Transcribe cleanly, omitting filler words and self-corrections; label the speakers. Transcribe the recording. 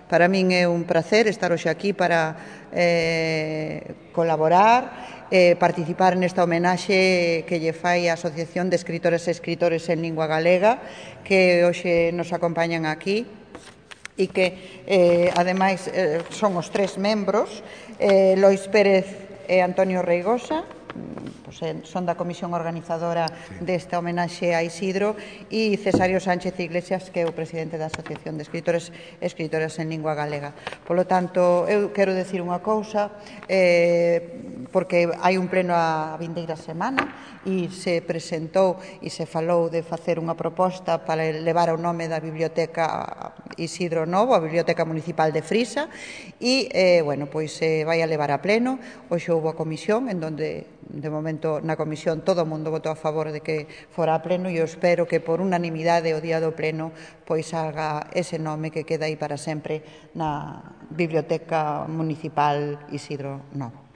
Speaker 1: Para min é un pracer estar hoxe aquí para colaborar, participar nesta homenaxe que lle fai a Asociación de Escritores e Escritores en Lingua Galega, que hoxe nos acompañan aquí e que, ademais, son os tres membros, Lois Pérez e Antonio Reigosa, son da comisión organizadora desta homenaxe a Isidro, e Cesario Sánchez Iglesias, que é o presidente da Asociación de Escritores e Escritoras en Lingua Galega. Polo tanto, eu quero decir unha cousa, porque hai un pleno a vindeira semana e se presentou e se falou de facer unha proposta para levar o nome da Biblioteca Isidro Novo, a Biblioteca Municipal de Frisa, e, bueno, pois se vai a levar a pleno. Hoxe houve a comisión en donde, de momento, na comisión todo o mundo votou a favor de que fora a pleno, e eu espero que por unanimidade o día do pleno pois haga ese nome que queda aí para sempre na Biblioteca Municipal Isidro Novo.